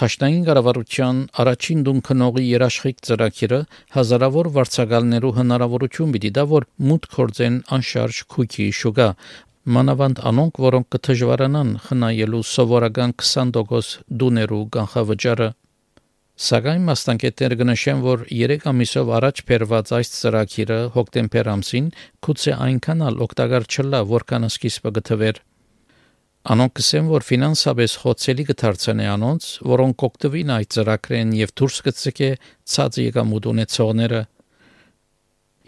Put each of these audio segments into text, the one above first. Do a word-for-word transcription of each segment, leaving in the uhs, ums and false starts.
Թաշնային կառավարության առաջին դուն քնողի երաշխիք ծրագիրը հազարավոր վարձակալներու հնարավորություն պիտի դա որ մուտք գործեն անշարժ քույքի շուկա մանավանդ անոնք որոնք կդժվարանան խնայելու սովորական քսան տոկոս դուներու կանխավճարը Սակայն մասնագետները կնշեն որ երեք ամիսով առաջ բերված այս ծրագիրը հոկտեմբեր ամսին գուցե այնքան էլ օգտակար չլա որքան սկիզբը գտվեր Անոնք կսեն, որ ֆինանսապես խոցելի կդարձնե անոնց, որոնք կօգտվին այդ ծրագրեն եւ դուրս կցկե ցած եկամուտ ունեցողները։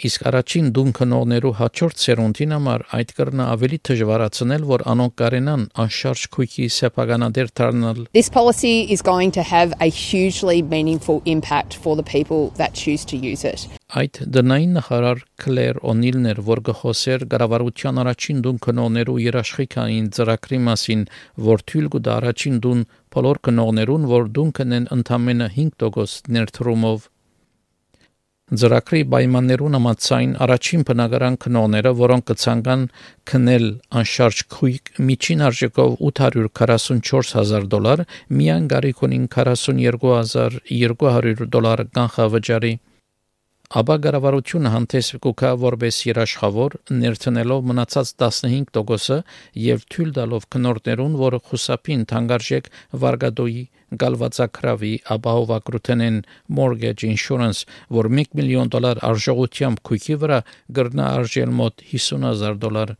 Իսկ առաջին դուն քնողներու հաջորդ սերունդին համար այդ կրնա ավելի դժվարացնել, որ անոնք կարենան անշարժ քույքի սեփականադեր դառնալ։ This policy is going to have a hugely meaningful impact for the people that choose to use it. Այդ դնային նախարար Քլեր Օնիլն էր, որ գխոսեր կառավարության առաջին դուն քնողներու երաշխիքային ծրագրի մասին, որ թույլ կտա առաջին դուն բոլոր քնողներուն, որ դուն կնեն ընդամենը հինգ տոկոս ներդրումով։ Ծրագրի պայմաններուն համաձայն առաջին բնակարան քնողները, որոնք կցանկան քնել անշարժ քույք միջին արժեքով ութ հարյուր քառասունչորս հազար դոլար, միայն գարիք ունին քառասունյոթ հազար երկու հարյուր դոլար կանխավճարի։ Աբա կառավարությունը հանդես կգա որպես երաշխավոր ներդնելով մնացած տասնհինգ տոկոսը եւ թույլ տալով քնորդներուն, որ խուսափին թանկարժեք վարկադոյի գալվածակրավի ապահովագրութենեն mortgage insurance, որ մեկ միլիոն դոլար արժողությամբ քույքի վրա կրնա արժել մոտ հիսուն հազար դոլար։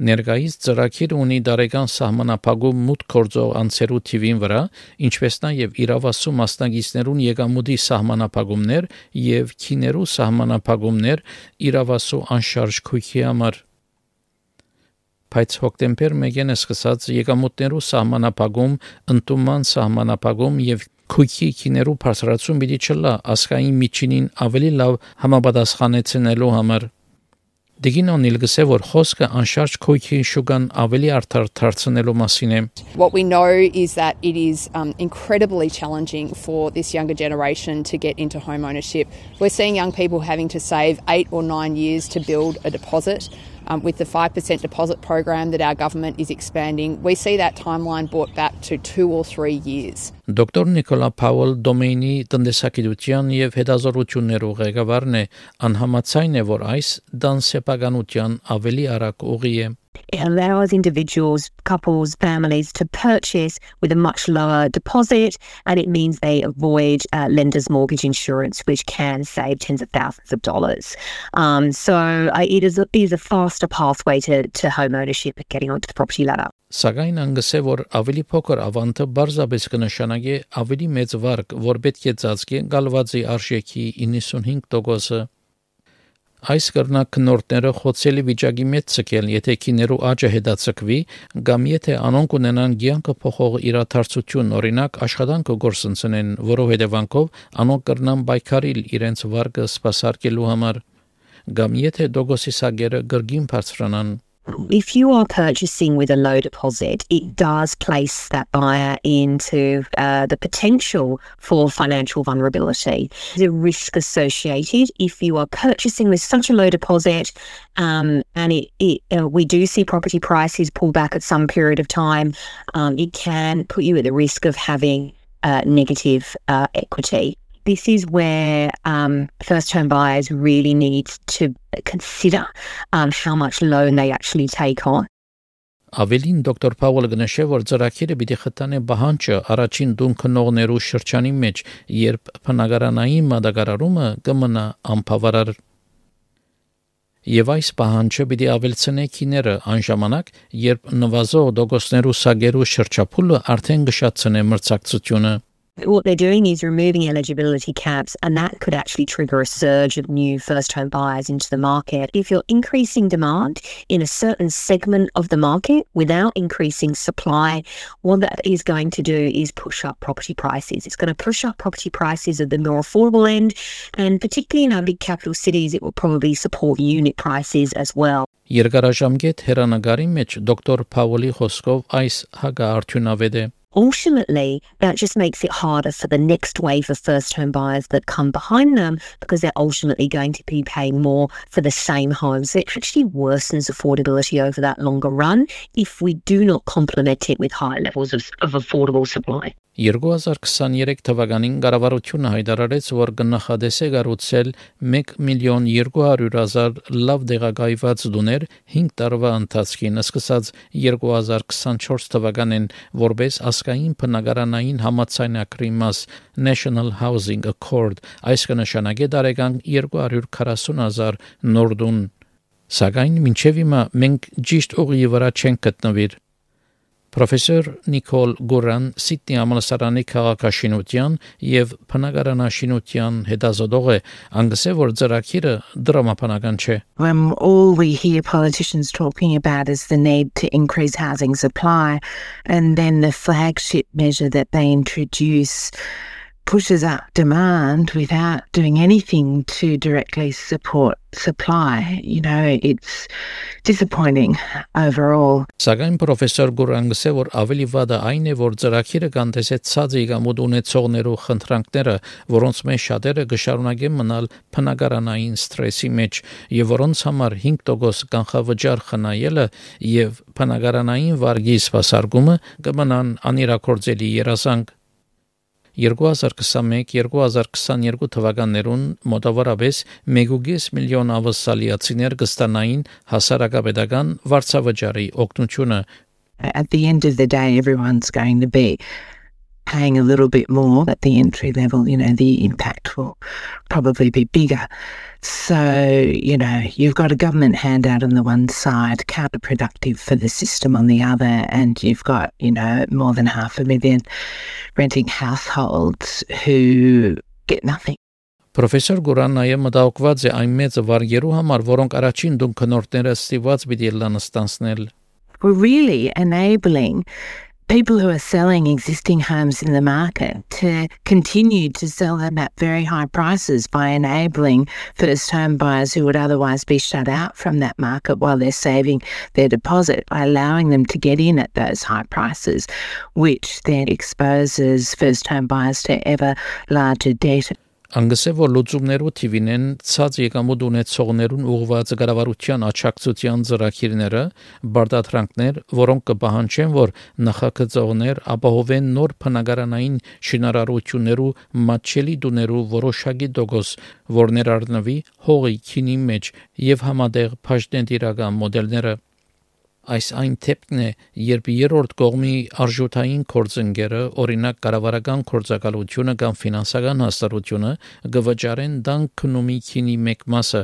Ներկայիս ծրագիրը ունի դարեկան սահմանափակում մուտք գործող անձերու թիվին վրա, ինչպես նաև իրավասու մասնագետներուն եկամուտի սահմանափակումներ եւ քիներու սահմանափակումներ իրավասու անշարժ քույքի համար։ Բայց հոկտեմբեր մեկին սկսած եկամուտներու սահմանափակում, ընդունման սահմանափակում եւ քույքի քիներու բարձրացում պիտի չլա ասկային միջինին ավելի լավ համապատասխանեցնելու համար։ Դիգին Օնիլը որ խոսքը անշարժ քույքի շուկան ավելի արդար դարձնելու մասին է։ What we know is that it is um, incredibly challenging for this younger generation to get into home ownership. We're seeing young people having to save eight or nine years to build a deposit. Um, with the five percent deposit program that our government is expanding, we see that timeline brought back to two or three years. Դոկտոր Նիկոլա Փավել Դոմեյնի տնտեսագիտության եւ հետազոտություններու ղեկավարն է, անհամաձայն է, որ այս դանսեպականության ավելի արագ ուղի է։ It allows individuals, couples, families to purchase with a much lower deposit, and it means they avoid uh, lender's mortgage insurance, which can save tens of thousands of dollars. Um, so uh, it is a, it is a faster pathway to, to home ownership and getting onto the property ladder. Սակայն անգսե որ ավելի փոքր ավանտը բարձրապես կնշանակի ավելի մեծ վարկ, որ պետք է ծածկի գալվածի արժեքի իննսունհինգ տոկոսը։ Այս կրնակ քնորդները խոցելի վիճակի մեջ ցկել, եթե քիներու աճը հետացկվի, կամ եթե անոնք ունենան ցանկը փոխող իրադարձություն, օրինակ աշխատանքը գործընծնեն, որով հետևանքով անոնք կրնան պայքարիլ իրենց վարկը սպասարկելու համար, կամ եթե դոգոսի սագերը գրգին բարձրանան։ If you are purchasing with a low deposit, it does place that buyer into uh, the potential for financial vulnerability. There's a risk associated if you are purchasing with such a low deposit, um, and it, it, uh, we do see property prices pull back at some period of time. Um, it can put you at the risk of having uh, negative uh, equity. This is where um, first-home buyers really need to consider um, how much loan they actually take on. Ավելին դոկտոր Փավելը գնշե, որ ծրագիրը պիտի խթանե բանջը առաջին դուն քնողներու շրջանի մեջ, երբ բնակարանային մատակարարումը կմնա անբավարար։ Եվ այս բանջը պիտի ավելցնե քիները այն ժամանակ, երբ նվազող դոգոսներու սագերու շրջափուլը արդեն գշացնե մրցակցությունը։ What they're doing is removing eligibility caps, and that could actually trigger a surge of new first-home buyers into the market. If you're increasing demand in a certain segment of the market without increasing supply, what that is going to do is push up property prices. It's going to push up property prices at the more affordable end, and particularly in our big capital cities, it will probably support unit prices as well. Երկարաժամկետ հերանագարի մեջ դոկտոր Փավելի խոսքով այս հագարթյունավետ է։ ultimately, that just makes it harder for the next wave of first-home buyers that come behind them because they're ultimately going to be paying more for the same homes. It actually worsens affordability over that longer run if we do not complement it with high levels of, of affordable supply. երկու հազար քսաներեք թվականին կառավարությունը հայտարարեց, որ կնախադես է կառուցել մեկ միլիոն երկու հարյուր հազար լավ տեղակայված տուներ հինգ տարվա ընթացքին, սկսած երկու հազար քսանչորս թվականին, որպես ազգային բնակարանային համաձայնագրի մաս National Housing Accord, այս կնշանակե տարեկան երկու հարյուր քառասուն հազար նոր տուն։ Սակայն մինչև հիմա մենք ճիշտ ուղի վրա չենք գտնվիր։ Պրոֆեսոր Նիկոլ Գուրան Սիդնի համալսարանի քաղաքաշինության եւ բնակարանաշինության հետազոտող է, անգսե որ ծրագիրը դրամապանական չէ։ When all we hear politicians talking about is the need to increase housing supply, and then the flagship measure that they introduce pushes up demand without doing anything to directly support supply. You know, it's disappointing overall. Սակայն պրոֆեսոր Գուրանգսը որ ավելի վատը այն է, որ ծրագիրը կանտեսեցած ήγամուտ ունեցողներու խնդրանքները, որոնց մեջ շատերը կշարունակեն մնալ բնակարանային սթրեսի մեջ եւ որոնց համար հինգ տոկոս կանխավճար խնայելը եւ բնակարանային վարկի սպասարկումը կմնան անիրակորձելի երազանք։ երկու հազար քսանմեկ երկու հազար քսաներկու թվականներուն մոտավորապես մեկ ու կես միլիոն ավսալիացիներ կստանային հասարակապետական վարձավճարի օգնությունը։ At the end of the day, everyone's going to be paying a little bit more at the entry level. You know, the impact will probably be bigger. So, you know, you've got a government handout on the one side, counterproductive for the system on the other, and you've got, you know, more than half a million renting households who get nothing. Պրոֆեսոր Գուրան նաև մտահոգված է այն մեծ վարկերու համար, որոնք առաջին դուն քնորդները ստիված պիտի լան ստանցնել։ We're really enabling people who are selling existing homes in the market to continue to sell them at very high prices by enabling first home buyers who would otherwise be shut out from that market while they're saving their deposit, by allowing them to get in at those high prices, which then exposes first home buyers to ever larger debt. Անգսե որ լուծումներու թիվինեն ցած եկամուտ ունեցողներուն ուղղված կառավարության աչակցության ծրագիրները, բարդատրանքներ, որոնք կպահանջեն, որ նախագծողներ ապահովեն նոր բնակարանային շինարարություններու մատչելի դուներու որոշակի տոկոս, որ ներառնվի հողի քինի մեջ եւ համատեղ փաշտենտիրական մոդելները։ Այս այն թեփքն է, երբ երրորդ կողմի արժութային գործընկերը, օրինակ կառավարական գործակալությունը կամ ֆինանսական հաստատությունը, գվճարեն դան քնումի քինի մեկ մասը,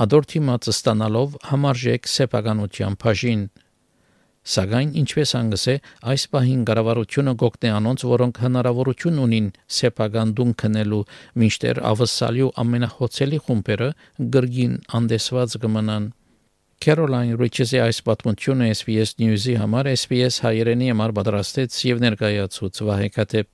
ադորթի մածը ստանալով համարժեք սեփականության բաժին։ Սակայն ինչպես անգսե, այս պահին կառավարությունը գոկնե անոնց, որոնք հնարավորություն ունին սեփական դուն քնելու, մինչդեռ ավսալյու ամենախոցելի խումբերը գրգին անդեսված կմնան։ Caroline Riches-ի այս պատմությունը S B S News-ի համար S B S հայերենի համար պատրաստեց եւ ներկայացուց Վահե Քաթեփ։